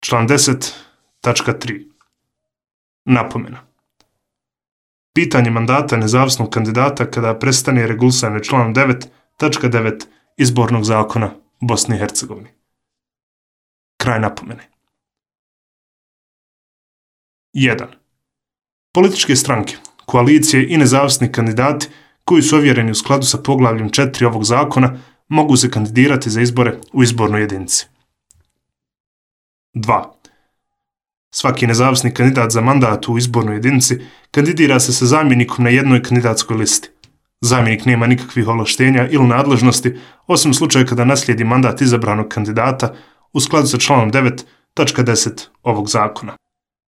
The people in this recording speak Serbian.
Član 10.3. Napomena. Pitanje mandata nezavisnog kandidata kada prestane regulisano članom 9.9 Izbornog zakona Bosne i Hercegovine. Kraj napomene. 1. Političke stranke, koalicije i nezavisni kandidati koji su ovjereni u skladu sa poglavljem 4 ovog zakona mogu se kandidirati za izbore u izbornoj jedinici. 2. Svaki nezavisni kandidat za mandat u izbornoj jedinici kandidira se sa zamjenikom na jednoj kandidatskoj listi. Zamjenik nema nikakvih ovlaštenja ili nadležnosti, osim u slučaju kada naslijedi mandat izabranog kandidata u skladu sa članom 9.10 ovog zakona.